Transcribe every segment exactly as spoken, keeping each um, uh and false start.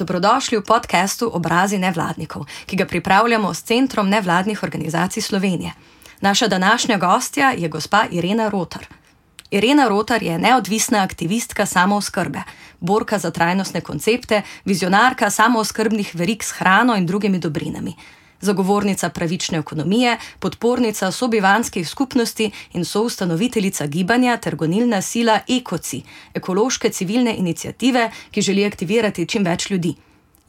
Dobrodošli v podcastu Obrazi nevladnikov, ki ga pripravljamo s Centrom nevladnih organizacij Slovenije. Naša današnja gostja je gospa Irena Rotar. Irena Rotar je neodvisna aktivistka samooskrbe, borka za trajnostne koncepte, vizionarka samooskrbnih verig s hrano in drugimi dobrinami, zagovornica pravične ekonomije, podpornica sobivanskih skupnosti in soustanoviteljica gibanja ter gonilna sila Ekoci, ekološke civilne iniciative, ki želi aktivirati čim več ljudi.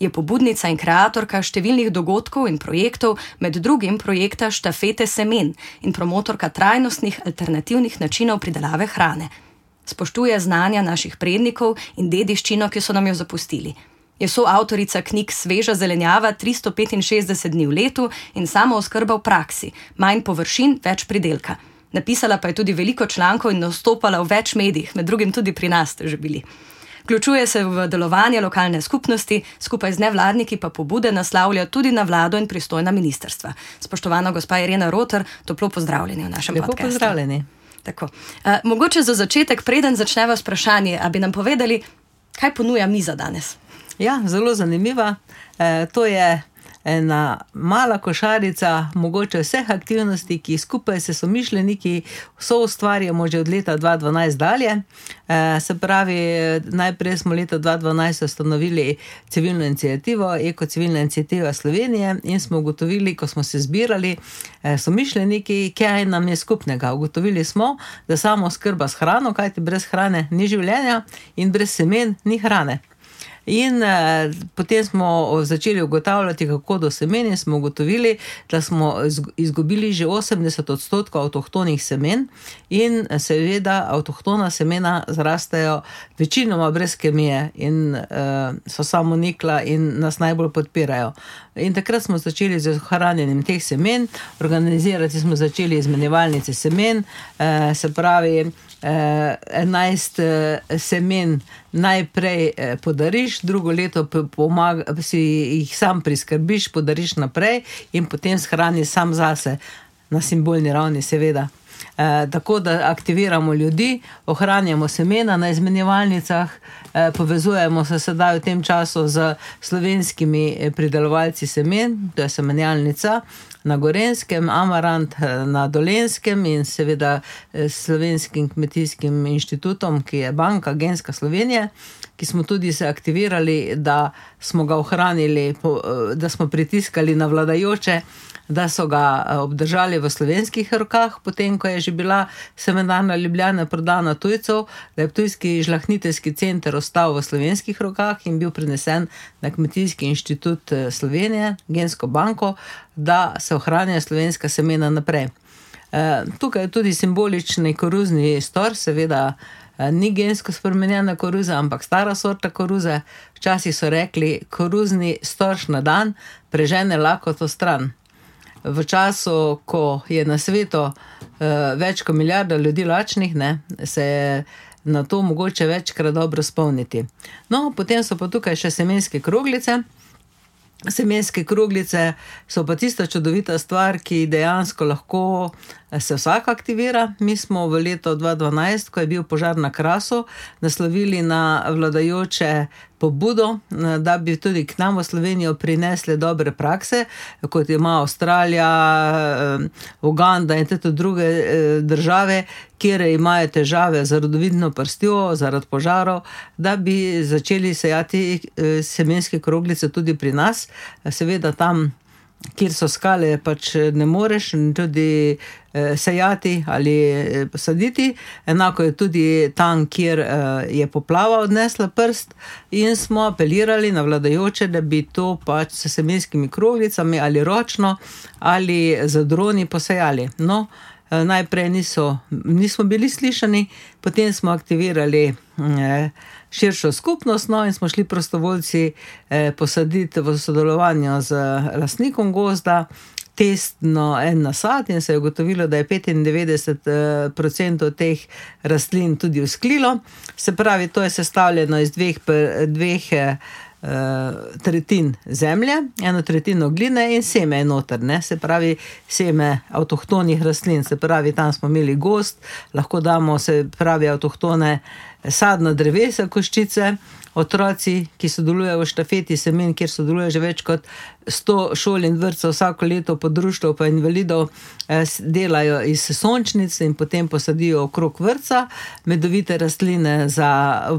Je pobudnica in kreatorka številnih dogodkov in projektov, med drugim projekta Štafete semen in promotorka trajnostnih alternativnih načinov pridelave hrane. Spoštuje znanja naših prednikov in dediščino, ki so nam jo zapustili. Je soavtorica knjig Sveža zelenjava tristo petinšestdeset dni v letu in Samooskrba v praksi, manj površin, več pridelka. Napisala pa je tudi veliko člankov in nastopala v več medijih, med drugim tudi pri nas ste že bili. Vključuje se v delovanje lokalne skupnosti, skupaj z nevladniki pa pobude naslavlja tudi na vlado in pristojna ministrstva. Spoštovana gospa Irena Rotar, toplo pozdravljeni v našem Lepo podcastu. Lepo pozdravljeni. Tako. Uh, mogoče za začetek, preden začneva s vprašanje, a bi nam povedali, kaj ponuja miza danes? Ja, zelo zanimiva. E, to je ena mala košarica mogoče vseh aktivnosti, ki skupaj se somišljeniki so ustvarjamo že od leta dva tisoč dvanajst dalje. E, se pravi, najprej smo leta dva tisoč dvanajst ustanovili civilno inicijativo, Eko civilna inicijativa Slovenije in smo ugotovili, ko smo se zbirali e, somišljeniki, kaj nam je skupnega. Ugotovili smo, da samooskrba s hrano, kajti brez hrane ni življenja in brez semen ni hrane. In eh, potem smo začeli ugotavljati, kako do semen in smo ugotovili, da smo izgubili že osemdeset odstotkov avtohtonih semen in seveda avtohtona semena zrastejo večinoma brez kemije in eh, so samonikla in nas najbolj podpirajo. In takrat smo začeli z ohranjanjem teh semen, organizirati smo začeli izmenjevalnice semen, eh, se pravi, enajst semen najprej podariš, drugo leto pomaga, si jih sam priskrbiš, podariš naprej in potem shraniš sam zase, na simbolni ravni seveda. E, tako da aktiviramo ljudi, ohranjamo semena na izmenjevalnicah, e, povezujemo se sedaj v tem času z slovenskimi pridelovalci semen, to je semenjalnica na Gorenskem, Amarant na Dolenjskem in seveda s Slovenskim kmetijskim inštitutom, ki je banka Genska Slovenije, ki smo tudi se aktivirali, da smo ga ohranili, da smo pritiskali na vladajoče, da so ga obdržali v slovenskih rokah, potem, ko je že bila semenarna Ljubljana prodana tujcev, da je Ptujski žlahtniteljski center ostal v slovenskih rokah in bil prenesen na Kmetijski inštitut Slovenije, Gensko banko, da se ohranja slovenska semena naprej. E, tukaj je tudi simbolični koruzni stor, seveda ni gensko spremenjena koruza, ampak stara sorta koruze. Včasih so rekli, koruzni storž na dan prežene lakoto stran. V času, ko je na svetu uh, več kot milijarda ljudi lačnih, ne, se je na to mogoče večkrat dobro spomniti. No, potem so pa tukaj še semenske kroglice. Semenske kroglice so pa tista čudovita stvar, ki dejansko lahko se vsak aktivira. Mi smo v letu dva tisoč dvanajst, ko je bil požar na Krasu, naslovili na vladajoče pobudo, da bi tudi k nam v Slovenijo prinesli dobre prakse, kot ima Avstralija, Uganda in tudi druge države, kjer imajo težave z rodovidno prstjo zaradi požarov, da bi začeli sejati semenske kroglice tudi pri nas. Seveda tam, kjer so skale, pač ne moreš tudi sejati ali saditi. Enako je tudi tam, kjer je poplava odnesla prst in smo apelirali na vladajoče, da bi to pač s semenskimi kroglicami ali ročno ali z droni posejali. No, najprej niso, nismo bili slišani, potem smo aktivirali širšo skupnost, no, in smo šli prostovoljci posaditi v sodelovanju z lastnikom gozda testno en nasad in se je ugotovilo, da je petindevetdeset procentov teh rastlin tudi usklilo. Se pravi, to je sestavljeno iz dveh, dveh tretjin zemlje, eno tretjino gline in seme je noter, ne? Se pravi seme avtohtonih rastlin, se pravi tam smo imeli gozd, lahko damo se pravi avtohtone sadna drevesa koščice. Otroci, ki sodelujejo v štafeti semen, kjer sodeluje že več kot sto šol in vrtcev vsako leto pod društvom pa invalidov, delajo iz sončnic in potem posadijo okrog vrtca medovite rastline za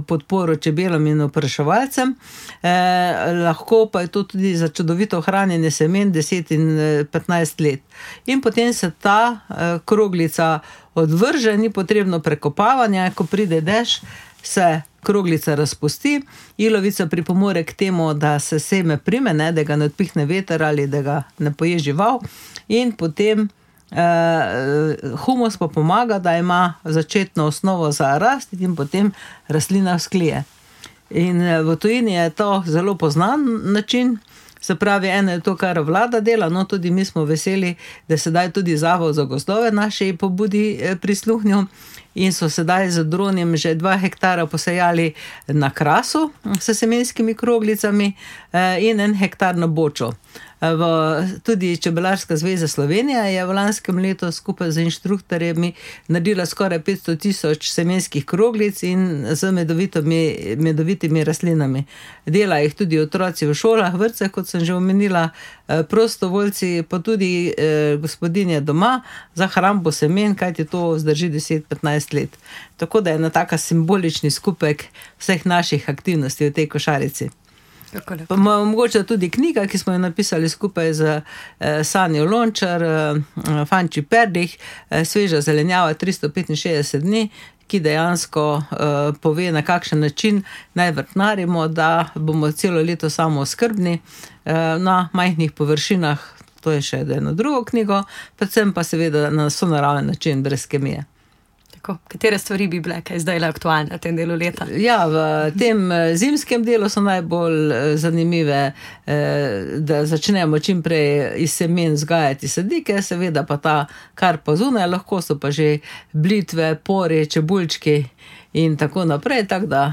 podporo čebelam in opraševalcem. Eh, lahko pa je to tudi za čudovito hranjenje semen deset in petnajst let. In potem se ta eh, kroglica odvrže, ni potrebno prekopavanja, ko pride dež, se kroglica razpusti, ilovica pripomore k temu, da se seme prime, ne, da ga ne odpihne veter ali da ga ne poje žival, in potem eh, humus pa pomaga, da ima začetno osnovo za rast in potem rastlina vzklije. In v tujini je to zelo poznan način. Se pravi, eno je to, kar vlada dela, no tudi mi smo veseli, da sedaj tudi Zavod za gozdove naši pobudi prisluhnil in so sedaj z dronom že dva hektara posejali na Krasu s semenskimi kroglicami in en hektar na Bočo. V, tudi Čebelarska zveza Slovenija je v lanskem letu skupaj z inštruktorjemi naredila skoraj petsto tisoč semenskih kroglic in z medovitimi, medovitimi rastlinami. Dela jih tudi otroci v šolah, vrtcih, kot sem že omenila, prostovoljci, pa tudi eh, gospodinje doma za hrambo semen, kajti to zdrži deset do petnajst let. Tako da je ena taka simbolični skupek vseh naših aktivnosti v tej košarici. Pa mogoče tudi knjiga, ki smo jo napisali skupaj z eh, Sanjo Lončar, eh, Fanči Perdih, eh, Sveža zelenjava tristo petinšestdeset dni, ki dejansko eh, pove, na kakšen način naj vrtnarimo, da bomo celo leto samooskrbni eh, na majhnih površinah. To je še eno drugo knjigo, predvsem pa seveda na sonaraven način, brez kemije. Tako, katere stvari bi bile, kaj zdaj le aktualne v tem delu leta? Ja, v tem zimskem delu so najbolj zanimive, da začnemo čim prej iz semen vzgajati sadike, seveda pa ta, kar pa zunaj, lahko so pa že blitve, pori, čebulčki in tako naprej, tako da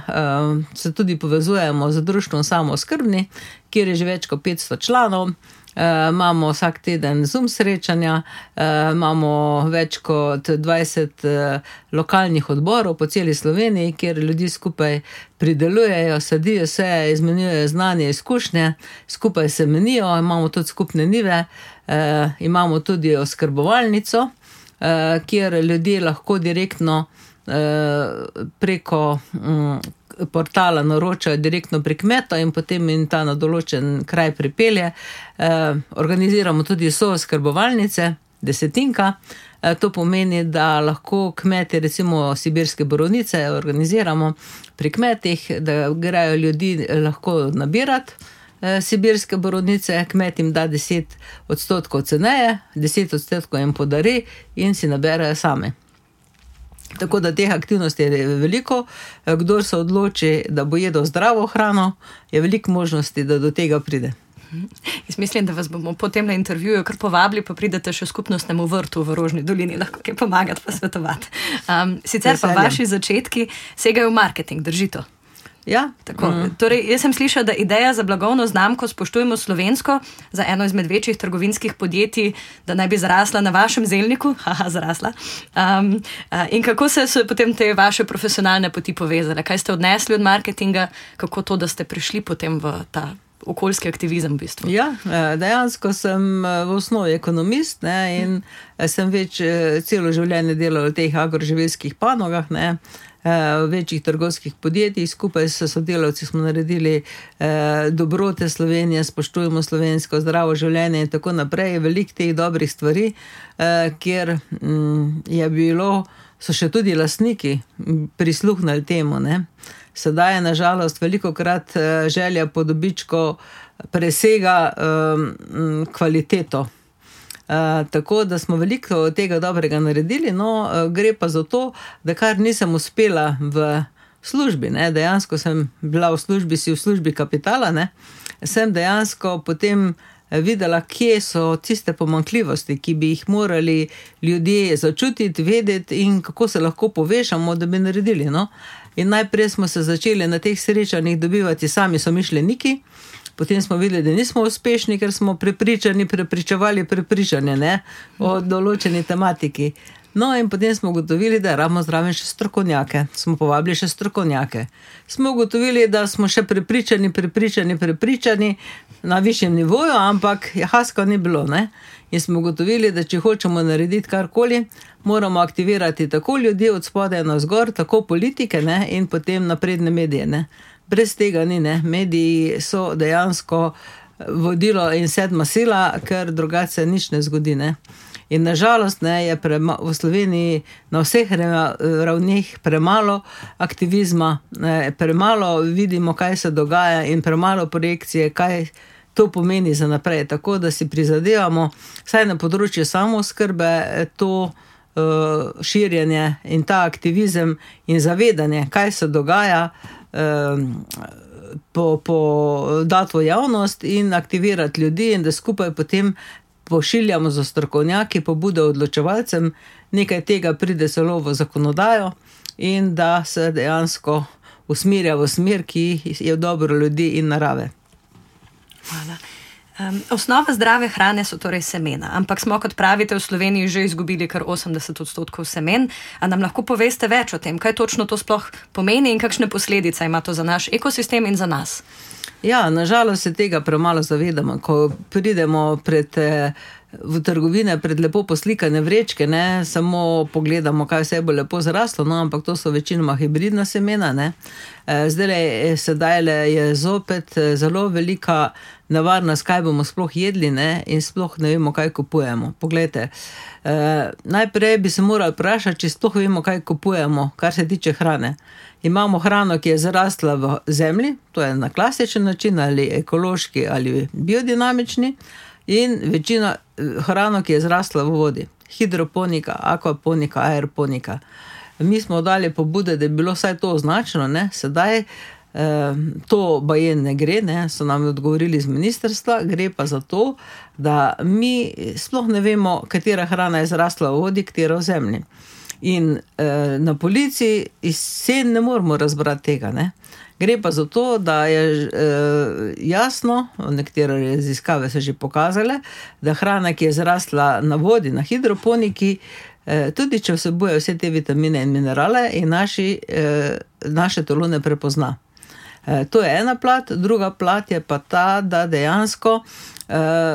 se tudi povezujemo z društvom Samooskrbni, kjer je že več kot petsto članov. Uh, imamo vsak teden Zoom srečanja, uh, imamo več kot dvajset uh, lokalnih odborov po celi Sloveniji, kjer ljudi skupaj pridelujejo, sadijo se, izmenjujejo znanje, izkušnje, skupaj se menijo, imamo tudi skupne nive, uh, imamo tudi oskrbovalnico, uh, kjer ljudje lahko direktno uh, preko um, portala naročajo direktno pri kmeta in potem in ta na določen kraj pripelje. Eh, organiziramo tudi sooskrbovalnice, desetinka. Eh, to pomeni, da lahko kmeti, recimo sibirske borovnice, organiziramo pri kmetih, da grejo ljudi lahko nabirati eh, sibirske borovnice, kmet jim da deset odstotkov ceneje, deset odstotkov jim podari in si naberajo same. Tako da teh aktivnosti je veliko. Kdor se odloči, da bo jedel zdravo hrano, je veliko možnosti, da do tega pride. Jaz mislim, da vas bomo po tem na intervjuju kar povabili, pa pridete še v skupnostnemu vrtu v Rožni dolini, lahko kaj pomagati, pa svetovati. Um, sicer pa vaši začetki segajo v marketing, drži to? Ja. Tako. Mm. Torej, jaz sem slišala, da ideja za blagovno znamko Spoštujmo slovensko za eno izmed večjih trgovinskih podjetij, da naj bi zrasla na vašem zelniku, haha, zrasla. Um, in kako se so potem te vaše profesionalne poti povezale? Kaj ste odnesli od marketinga? Kako to, da ste prišli potem v ta okoljski aktivizem v bistvu? Ja, dejansko sem v osnovi ekonomist, ne, in sem več celo življenje delal v teh agroživilskih panogah, ne, v večjih trgovskih podjetjih. Skupaj s sodelavci smo naredili eh, Dobrote Slovenije, Spoštujmo slovensko, Zdravo življenje in tako naprej. Veliko teh dobrih stvari, eh, kjer mm, je bilo, so še tudi lastniki prisluhnili temu, ne. Sedaj je nažalost velikokrat eh, želja po dobičku presega eh, kvaliteto. Uh, tako da smo veliko tega dobrega naredili, no uh, gre pa za to, da kar nisem uspela v službi, ne, dejansko sem bila v službi, si v službi kapitala, ne, sem dejansko potem videla, kje so tiste pomanjkljivosti, ki bi jih morali ljudje začutiti, vedeti in kako se lahko povešamo, da bi naredili, no. In najprej smo se začeli na teh srečanjih dobivati sami somišljeniki. Potem smo videli, da nismo uspešni, ker smo prepričani, prepričevali prepričanje, ne, o določeni tematiki. No in potem smo ugotovili, da rabimo zraven še strokovnjake. Smo povabili še strokovnjake. Smo ugotovili, da smo še prepričani, prepričani, prepričani na višjem nivoju, ampak haska ni bilo, ne. In smo ugotovili, da če hočemo narediti karkoli, moramo aktivirati tako ljudi od spodaj navzgor, tako politike, ne, in potem napredne medije, ne. Brez tega ni, ne. Mediji so dejansko vodilo in sedma sila, ker drugače se nič ne zgodi, ne. In nažalost, ne, je prema, v Sloveniji na vseh ravneh premalo aktivizma, ne, premalo vidimo, kaj se dogaja in premalo projekcije, kaj to pomeni za naprej. Tako da si prizadevamo, vsaj na področju samooskrbe, to uh, širjenje in ta aktivizem in zavedanje, kaj se dogaja, uh, po, po dati v javnost in aktivirati ljudi in da skupaj potem pošiljamo za strokovnjaki, pobude odločevalcem, nekaj tega pride celo v zakonodajo in da se dejansko usmerja v smer, ki je v dobro ljudi in narave. Hvala. Um, osnova zdrave hrane so torej semena, ampak smo, kot pravite, v Sloveniji že izgubili kar osemdeset odstotkov semen. A nam lahko poveste več o tem, kaj točno to sploh pomeni in kakšne posledice ima to za naš ekosistem in za nas? Ja, nažalost se tega premalo zavedamo. Ko pridemo pred, v trgovine pred lepo poslikane vrečke, ne, samo pogledamo, kaj vse bo lepo zraslo, no, ampak to so večinoma hibridna semena, ne. Zdaj, sedaj je zopet zelo velika nevarnost, kaj bomo sploh jedli, ne, in sploh ne vemo, kaj kupujemo. Poglejte, eh, najprej bi se morali vprašati, če sploh vemo, kaj kupujemo, kar se tiče hrane. Imamo hrano, ki je zrasla v zemlji, to je na klasičen način, ali ekološki, ali biodinamični, in večina hrano, ki je zrasla v vodi. Hidroponika, akvaponika, aeroponika. Mi smo dali pobude, da je bilo vsaj to označeno, ne, sedaj to baje ne gre, ne, so nam odgovorili z ministrstva, gre pa za to, da mi sploh ne vemo, katera hrana je zrasla v vodi, katera v zemlji. In eh, na polici iz sen ne moramo razbrati tega, ne. Gre pa za to, da je eh, jasno, nekatere raziskave so že pokazale, da hrana, ki je zrasla na vodi, na hidroponiki, eh, tudi če vsebuje vse te vitamine in minerale, in naši, eh, naše telo ne prepozna. To je ena plat, druga plat je pa ta, da dejansko uh,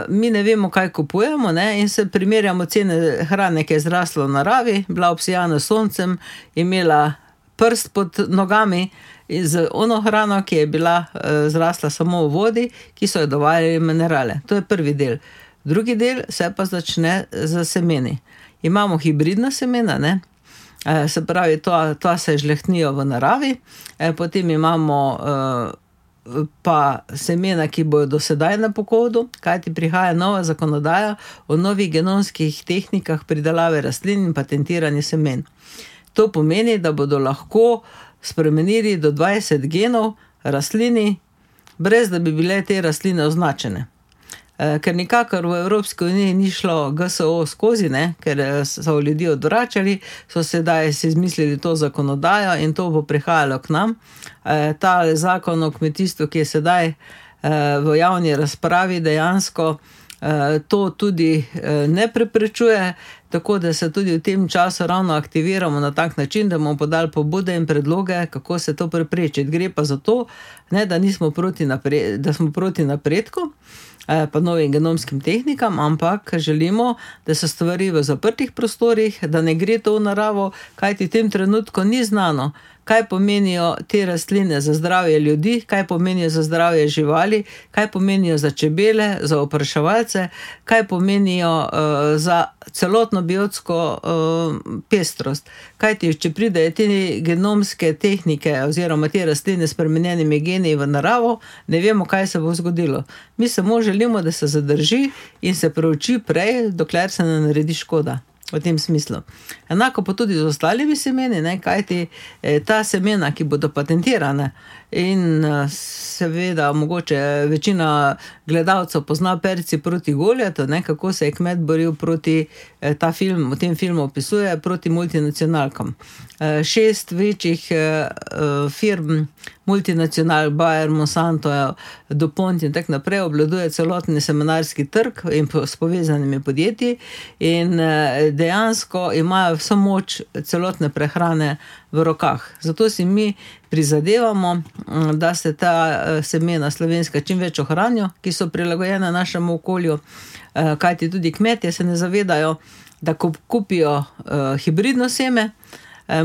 mi ne vemo, kaj kupujemo, ne, in se primerjamo cene hrane, ki je zrasla v naravi, bila obsijana soncem, imela prst pod nogami in z ono hrano, ki je bila uh, zrasla samo v vodi, ki so jo dovajali minerale. To je prvi del. Drugi del se pa začne z semeni. Imamo hibridna semena, ne. Se pravi, to, to se žlehtnijo v naravi, potem imamo pa semena, ki bojo do sedaj na pokodu, kajti prihaja nova zakonodaja o novih genomskih tehnikah pridelave rastlin in patentiranje semen. To pomeni, da bodo lahko spremenili do dvajset genov rastlini, brez da bi bile te rastline označene. Ker nikakor v Evropski uniji ni šlo G S O skozi, ne, ker so ljudi odvračali, so sedaj si izmislili to zakonodajo in to bo prihajalo k nam. Ta zakon o kmetijstvu, ki je sedaj v javni razpravi, dejansko to tudi ne preprečuje, tako da se tudi v tem času ravno aktiviramo na tak način, da bomo podali pobude in predloge, kako se to preprečiti. Gre pa za to, ne, da nismo proti napred, da smo proti napredku, pa novim genomskim tehnikam, ampak želimo, da so stvari v zaprtih prostorih, da ne gre to v naravo, kajti v tem trenutku ni znano, kaj pomenijo te rastline za zdravje ljudi, kaj pomenijo za zdravje živali, kaj pomenijo za čebele, za opraševalce, kaj pomenijo uh, za celotno biotsko uh, pestrost. Kajti, če pridejo te genomske tehnike oziroma te rastline s spremenjenimi geni v naravo, ne vemo, kaj se bo zgodilo. Mi samo želimo, da se zadrži in se preuči prej, dokler se ne naredi škoda. V tem smislu. Enako pa tudi z ostalimi semeni, ne, kajti ta semena, ki bodo patentirane in seveda mogoče večina gledalcev pozna Perci proti Goljatu, ne, kako se je kmet boril proti, ta film, v tem filmu opisuje, proti multinacionalkam. Šest večjih firm, multinacional, Bayer, Monsanto, DuPont in tak naprej, obvladuje celotni semenarski trg in s povezanimi podjetji in dejansko imajo vso moč celotne prehrane v rokah. Zato si mi prizadevamo, da se ta semena slovenska čim več ohranijo, ki so prilagojene našemu okolju, kajti tudi kmetje se ne zavedajo, da ko kupijo hibridno seme,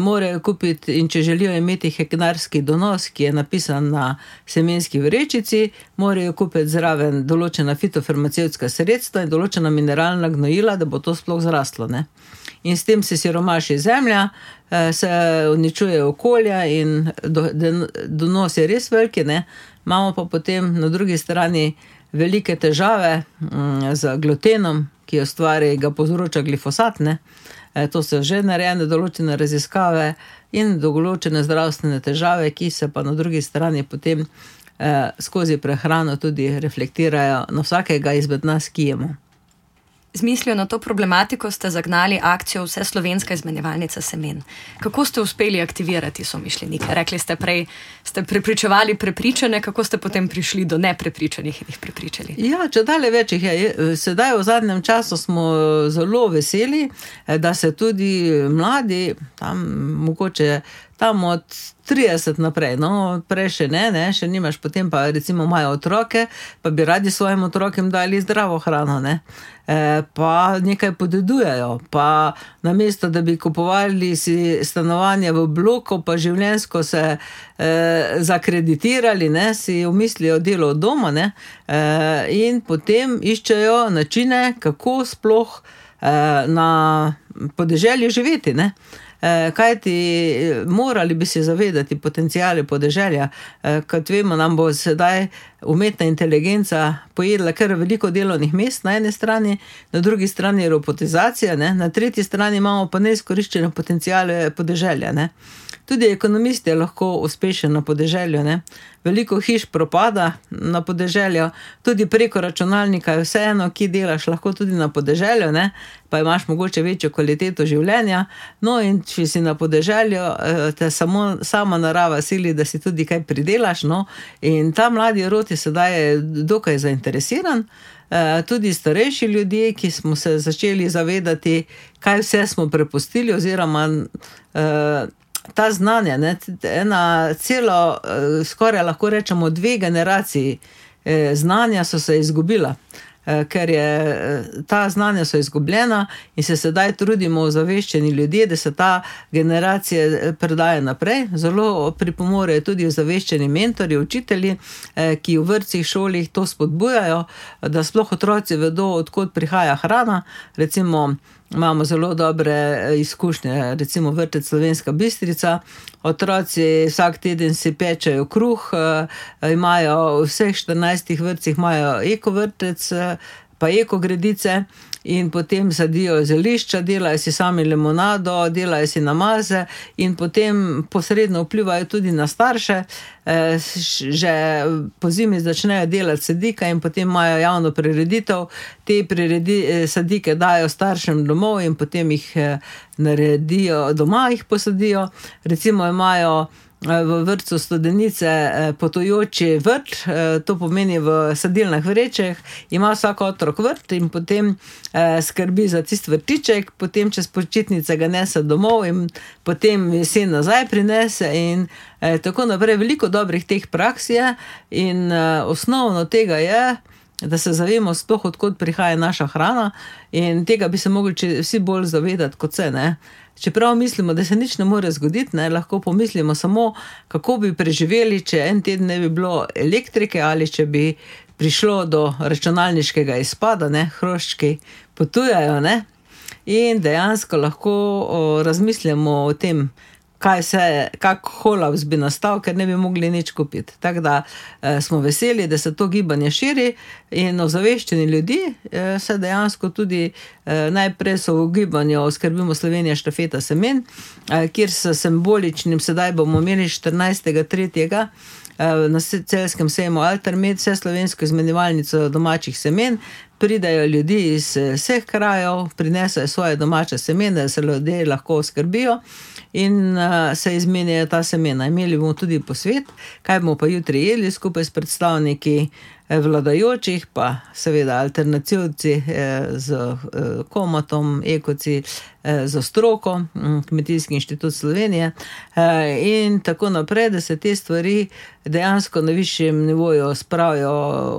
morajo kupiti, in če želijo imeti hektarski donos, ki je napisan na semenski vrečici, morajo kupiti zraven določena fitofarmacevtska sredstva in določena mineralna gnojila, da bo to sploh zraslo, ne. In s tem se siromaši zemlja, se uničuje okolja in donos je res veliki, ne. Imamo pa potem na drugi strani velike težave z glutenom, ki jo stvari, ga povzroča glifosat, ne. To so že narejene določene raziskave in določene zdravstvene težave, ki se pa na drugi strani potem eh, skozi prehrano tudi reflektirajo na vsakega izmed nas, ki jemo. Z mislijo na to problematiko ste zagnali akcijo Vseslovenska izmenjevalnica semen. Kako ste uspeli aktivirati somišljenike? Rekli ste prej, ste prepričevali prepričane, kako ste potem prišli do neprepričanih in jih prepričali? Ja, če dalje več jih je. Sedaj v zadnjem času smo zelo veseli, da se tudi mladi, tam mogoče tam od trideset naprej, no, prej še ne, ne, še nimaš, potem pa recimo imajo otroke, pa bi radi svojim otrokem dali zdravo hrano, ne, e, pa nekaj podedujejo, pa namesto, da bi kupovali si stanovanje v bloku, pa življenjsko se e, zakreditirali, ne, si umislijo delo od doma, ne, e, in potem iščejo načine, kako sploh e, na podeželju živeti, ne. Kajti morali bi se zavedati potencijale podeželja, kot vemo, nam bo sedaj umetna inteligenca pojedla kar veliko delovnih mest na eni strani, na drugi strani robotizacija, ne? Na tretji strani imamo pa neizkoriščene potencijale podeželja, ne? Tudi ekonomist je lahko uspešen na podeželju, ne? Veliko hiš propada na podeželju, tudi preko računalnika je vseeno, ki delaš lahko tudi na podeželju, ne? Pa imaš mogoče večjo kvaliteto življenja, no in če si na podeželju, te samo sama narava sili, da si tudi kaj pridelaš, no, in ta mladi rod je sedaj dokaj zainteresiran, tudi starejši ljudje, ki smo se začeli zavedati, kaj vse smo prepustili, oziroma ta znanja, ne, ena celo, skoraj lahko rečemo dve generaciji znanja so se izgubila, ker je ta znanja so izgubljena in se sedaj trudimo ozaveščeni ljudje, da se ta generacija predaje naprej. Zelo pripomorejo tudi ozaveščeni mentorji, učitelji, ki v vrtcih, šolih to spodbujajo, da sploh otroci vedo, od kod prihaja hrana. Recimo, imamo zelo dobre izkušnje, recimo vrtec Slovenska Bistrica, otroci vsak teden si pečejo kruh, imajo v vseh štirinajstih vrtcih imajo eko vrtec, pa eko gredice in potem sadijo zelišča, delajo si sami limonado, delajo si namaze in potem posredno vplivajo tudi na starše. Že po zimi začnejo delati sadike in potem imajo javno prireditev, te priredi, sadike dajo staršem domov in potem jih naredijo, doma jih posadijo. Recimo imajo v vrtcu Studenice potujoči vrt, to pomeni v sadilnih vrečeh, ima vsak otrok vrt in potem skrbi za tist vrtiček, potem čez počitnice ga nese domov in potem jesen nazaj prinese in tako naprej. Veliko dobrih teh praks je in osnovno tega je, da se zavemo sploh, odkot prihaja naša hrana in tega bi se mogli vsi bolj zavedati kot se, ne. Čeprav mislimo, da se nič ne more zgoditi, ne, lahko pomislimo samo, kako bi preživeli, če en teden ne bi bilo elektrike ali če bi prišlo do računalniškega izpada, ne, hroščki potujajo, ne, in dejansko lahko o, razmislimo o tem, kaj se, kak kolaps bi nastal, ker ne bi mogli nič kupiti. Tako da eh, smo veseli, da se to gibanje širi in ozaveščeni ljudi eh, se dejansko tudi eh, najprej so v gibanju Skrbimo Slovenija štafeta semen, eh, kjer s simboličnim, sedaj bomo imeli štirinajstega tretjega na celjskem sejmu Altermed, vseslovensko izmenjevalnico domačih semen. Pridajo ljudi iz vseh krajev, prinesajo svoje domače semene, da se ljudje lahko oskrbijo in se izmenjajo ta semena. Imeli bomo tudi posvet, kaj bomo pa jutri jedli skupaj s predstavniki vladajočih, pa seveda alternativci z Komatom, Ekoci, za stroko, Kmetijski inštitut Slovenije in tako naprej, da se te stvari dejansko na višjem nivoju spravijo,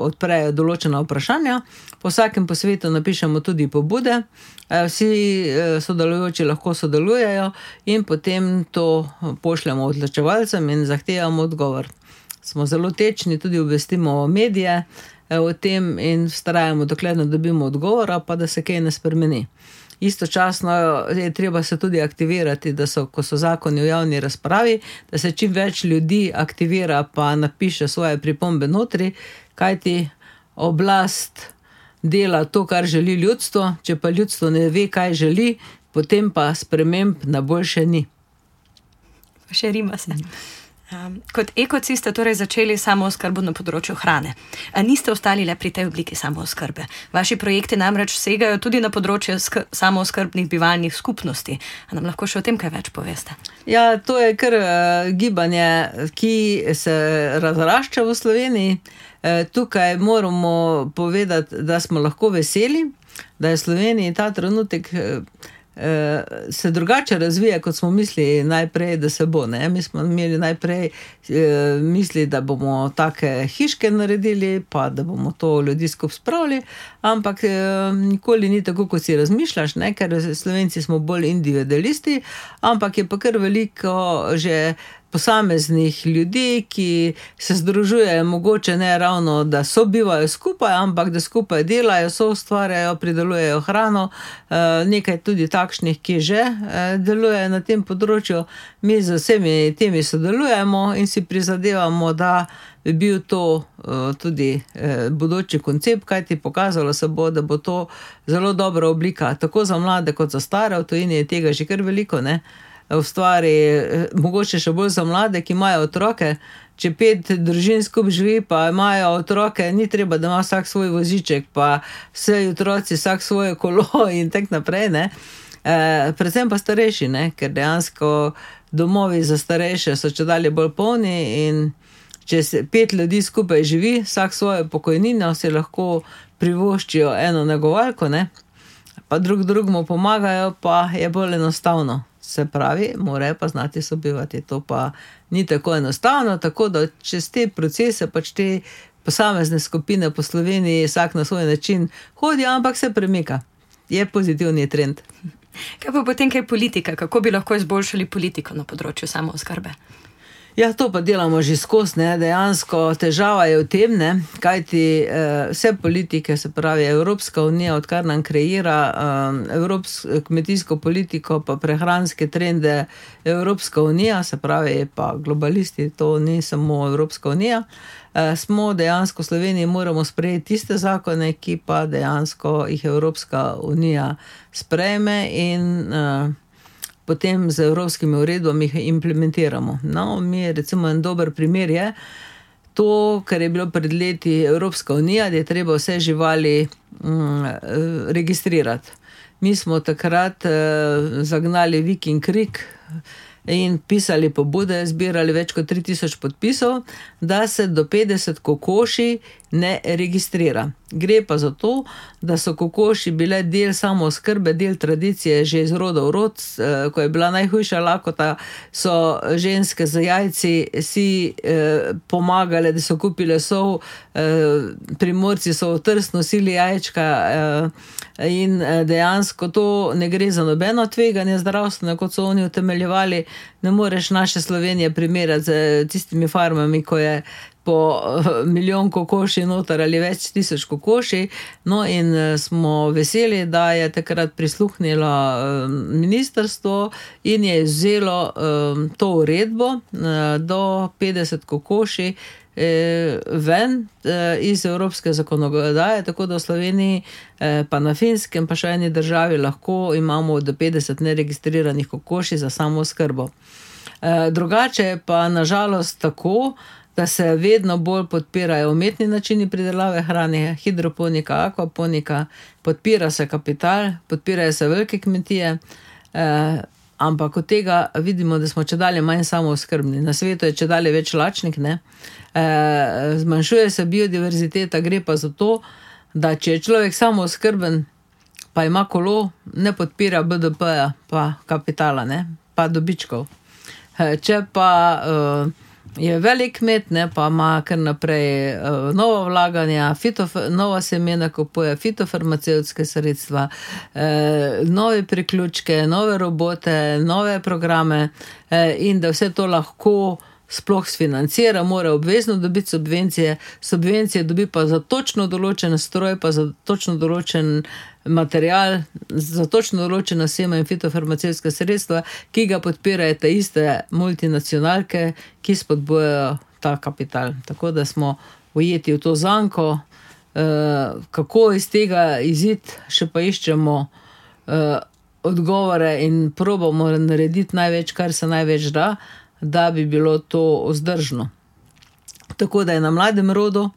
odprejo določena vprašanja. Po vsakem posvetu napišemo tudi pobude, vsi sodelujoči lahko sodelujejo in potem to pošljemo odločevalcem in zahtevamo odgovor. Smo zelo tečni, tudi obvestimo medije o tem in vztrajamo, dokler ne dobimo odgovora, pa da se kaj ne spremeni. Istočasno je treba se tudi aktivirati, da so, ko so zakoni v javni razpravi, da se čim več ljudi aktivira pa napiše svoje pripombe notri, kajti oblast dela to, kar želi ljudstvo, če pa ljudstvo ne ve, kaj želi, potem pa sprememb na boljše ni. Še rima se. Um, kot ekoci ste torej začeli samooskrbo na področju hrane. A niste ostali le pri tej obliki samooskrbe. Vaši projekti namreč segajo tudi na področje samooskrbnih bivalnih skupnosti. A nam lahko še o tem kaj več poveste? Ja, to je kar uh, gibanje, ki se razrašča v Sloveniji. Uh, tukaj moramo povedati, da smo lahko veseli, da je Sloveniji ta trenutek uh, se drugače razvija, kot smo mislili najprej, da se bo. Ne? Mi smo imeli najprej eh, misli, da bomo take hiške naredili, pa da bomo to ljudi skupaj spravili, ampak eh, nikoli ni tako, kot si razmišljaš, ne? Ker Slovenci smo bolj individualisti, ampak je pa kar veliko že posameznih ljudi, ki se združujejo, mogoče ne ravno, da sobivajo skupaj, ampak da skupaj delajo, so ustvarjajo, pridelujejo hrano, nekaj tudi takšnih, ki že delujejo na tem področju. Mi z vsemi temi sodelujemo in si prizadevamo, da bi bil to tudi bodoči koncept, kajti pokazalo se bo, da bo to zelo dobra oblika, tako za mlade kot za stare. V tujini je tega že kar veliko, ne? V stvari, mogoče še bolj za mlade, ki imajo otroke, če pet družin skupaj živi, pa imajo otroke, ni treba, da ima vsak svoj voziček, pa vse otroci vsak svoje kolo in tak naprej, ne. E, predvsem pa starejši, ne, ker dejansko domovi za starejše so čedalje bolj polni in če se pet ljudi skupaj živi, vsak svojo pokojnino si lahko privoščijo eno negovalko, ne, pa drug drugemu pomagajo, pa je bolj enostavno. Se pravi, morajo pa znati sobivati. To pa ni tako enostavno, tako da čez te procese, pač te posamezne skupine po Sloveniji vsak na svoj način hodi, ampak se premika. Je pozitivni trend. Kaj pa potem kaj politika? Kako bi lahko izboljšali politiko na področju samooskrbe? Ja, to pa delamo že skozi, ne, dejansko težava je v tem, ne, kajti eh, vse politike, se pravi Evropska unija, odkar nam kreira eh, evropsko kmetijsko politiko, pa prehranske trende Evropska unija, se pravi pa globalisti, to ni samo Evropska unija, eh, smo dejansko v Sloveniji moramo sprejeti tiste zakone, ki pa dejansko jih Evropska unija sprejme in eh, potem z evropskimi uredbami jih implementiramo. No, mi recimo en dober primer je to, kar je bilo pred leti Evropska unija, da je treba vse živali mm, registrirati. Mi smo takrat eh, zagnali vik in krik in pisali pobude, zbirali več kot tri tisoč podpisov, da se do petdeset kokoši ne registrira. Gre pa za to, da so kokoši bile del samooskrbe, del tradicije že iz roda v rod, ko je bila najhujša lakota, so ženske z jajci si eh, pomagale, da so kupile sol, eh, Primorci so v Trst nosili jajčka eh, in dejansko to ne gre za nobeno tveganje zdravstveno, kot so oni utemeljevali. Ne moreš naše Slovenije primerjati z tistimi farmami, ko je po milijon kokoši noter ali več tisoč kokoši. No in smo veseli, da je takrat prisluhnilo ministrstvo in je vzelo to uredbo do petdeset kokoši ven iz evropske zakonodaje, tako da v Sloveniji pa na Finskem pa še eni državi lahko imamo do petdeset neregistriranih kokoši za samooskrbo. Drugače pa nažalost tako, da se vedno bolj podpirajo umetni načini pridelave hrane, hidroponika, akvaponika, podpira se kapital, podpirajo se velike kmetije, eh, ampak od tega vidimo, da smo čedalje manj samooskrbni. Na svetu je čedalje več lačnih, ne? E, zmanjšuje se biodiverziteta, gre pa za to, da če je človek samooskrben, pa ima kolo, ne podpira B D P-ja, pa kapitala, ne? Pa dobičkov. E, če pa e, je velik kmet, ne? Pa ima kar naprej e, nova vlaganja, fitof, nova semena kupuje, fitofarmacevtske sredstva, e, nove priključke, nove robote, nove programe e, in da vse to lahko sploh sfinancira, mora obvezno dobiti subvencije, subvencije dobi pa za točno določen stroj, pa za točno določen material, za točno določena sema in fitofarmacevtska sredstva, ki ga podpirajo te iste multinacionalke, ki spodbujajo ta kapital. Tako da smo ujeti v to zanko, kako iz tega izid, še pa iščemo odgovore in probamo narediti največ, kar se največ da, da bi bilo to vzdržno. Tako da je na mladem rodu,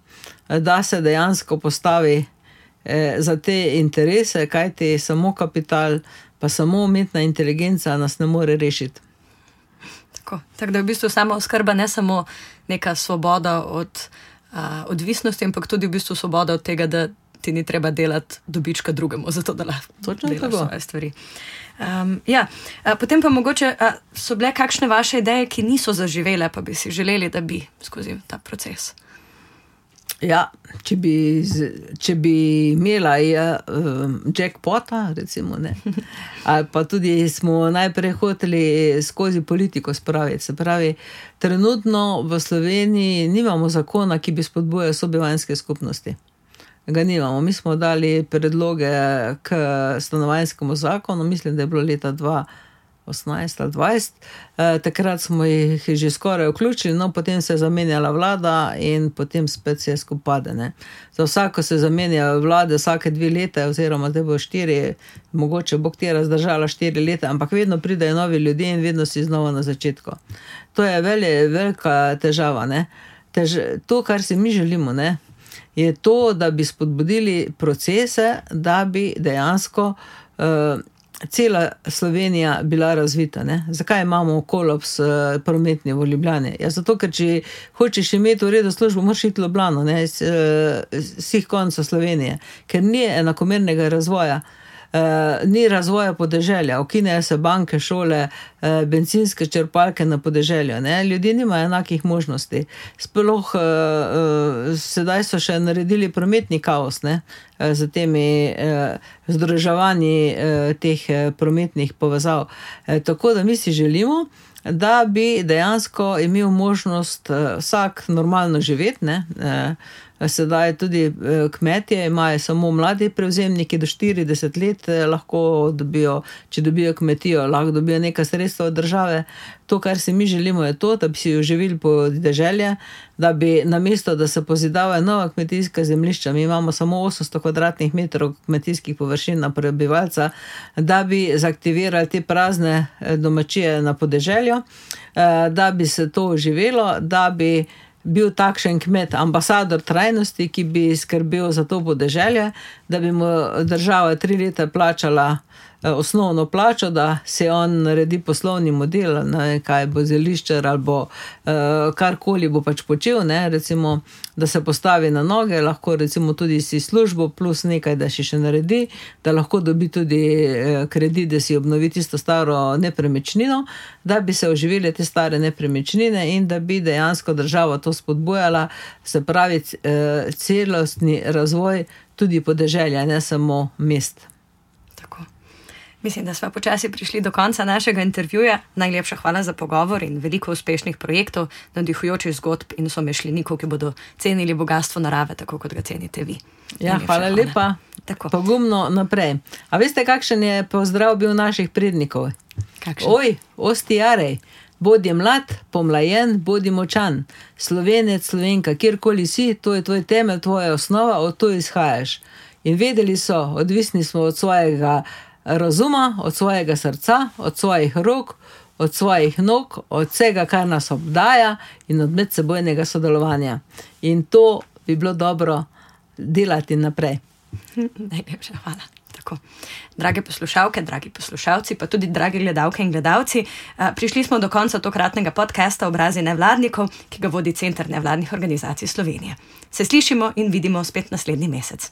da se dejansko postavi eh, za te interese, kajti samo kapital, pa samo umetna inteligenca nas ne more rešiti. Tako, tako da je v bistvu samo oskrba ne samo neka svoboda od a, odvisnosti, ampak tudi v bistvu svoboda od tega, da ti ni treba delati dobička drugemu, zato da lahko delaš svoje stvari. Um, ja, a, potem pa mogoče a, so bile kakšne vaše ideje, ki niso zaživele, pa bi si želeli, da bi skozi ta proces. Ja, če bi, če bi imela ja, jackpota, recimo, ne, ali pa tudi smo najprej hoteli skozi politiko spraviti. Se pravi, trenutno v Sloveniji nimamo zakona, ki bi spodbujal sobivanjske skupnosti. Ga nimamo. Mi smo dali predloge k stanovanjskemu zakonu, mislim, da je bilo leta dva osemnajst ali dvajset. E, takrat smo jih že skoraj vključili, no potem se je zamenjala vlada in potem spet se je skupade. Ne. Za vsako se zamenja vlade vsake dve leta, oziroma zdaj bo štiri, mogoče bo ktera zdržala štiri leta, ampak vedno pridejo novi ljudje in vedno si znova na začetku. To je velje, velika težava. Ne. Tež, to, kar si mi želimo, ne, je to, da bi spodbudili procese, da bi dejansko uh, cela Slovenija bila razvita. Ne? Zakaj imamo kolaps uh, prometni v Ljubljani? Ja, zato, ker če hočeš imeti v redu službo, moraš iti v Ljubljano, ne? Z uh, vseh koncev Slovenije, ker ni enakomernega razvoja. Uh, ni razvoja podeželja, ukinejo se banke, šole, uh, bencinske črpalke na podeželju. Ne? Ljudje nimajo enakih možnosti. Sploh uh, uh, sedaj so še naredili prometni kaos, ne? Uh, z temi uh, združevanji uh, teh uh, prometnih povezav. Uh, tako da mi si želimo, da bi dejansko imel možnost uh, vsak normalno živeti, ne? Uh, Sedaj tudi kmetje imajo samo mladi prevzemniki do štirideset let, lahko dobijo, če dobijo kmetijo, lahko dobijo neka sredstva od države. To, kar si mi želimo, je to, da bi si oživili podeželje, da bi namesto, da se pozidavajo nova kmetijska zemljišča, mi imamo samo osemsto kvadratnih metrov kmetijskih površin na prebivalca, da bi zaktivirali te prazne domačije na podeželju, da bi se to oživelo, da bi bil takšen kmet, ambasador trajnosti, ki bi skrbel za to podeželje, da bi mu država tri leta plačala osnovno plačo, da se on naredi poslovni model, ne, kaj bo zeliščar ali bo uh, karkoli bo pač počel, ne, recimo, da se postavi na noge, lahko recimo tudi si službo plus nekaj, da si še naredi, da lahko dobi tudi uh, kredit, da si obnovi tisto staro nepremičnino, da bi se oživile te stare nepremičnine in da bi dejansko država to spodbujala, se pravi uh, celostni razvoj tudi podeželja, ne samo mest. Tako. Mislim, da smo počasi prišli do konca našega intervjuja. Najlepša hvala za pogovor in veliko uspešnih projektov, navdihujočih zgodb in somišljenikov, ki bodo cenili bogatstvo narave, tako kot ga cenite vi. Ja, hvala, hvala lepa. Tako. Pogumno naprej. A veste, kakšen je pozdrav bil naših prednikov? Kakšen? Oj, osti jarej, bodi mlad, pomlajen, bodi močan. Slovenec, Slovenka, kjerkoli si, to je tvoj temelj, tvoja osnova, od to izhajaš. In vedeli so, odvisni smo od svojega razuma, od svojega srca, od svojih rok, od svojih nog, od vsega, kar nas obdaja in od medsebojnega sodelovanja. In to bi bilo dobro delati naprej. Najlepša hvala. Tako. Drage poslušalke, dragi poslušalci, pa tudi dragi gledalke in gledalci, prišli smo do konca tokratnega podcasta Obrazi nevladnikov, ki ga vodi Center nevladnih organizacij Slovenije. Se slišimo in vidimo spet naslednji mesec.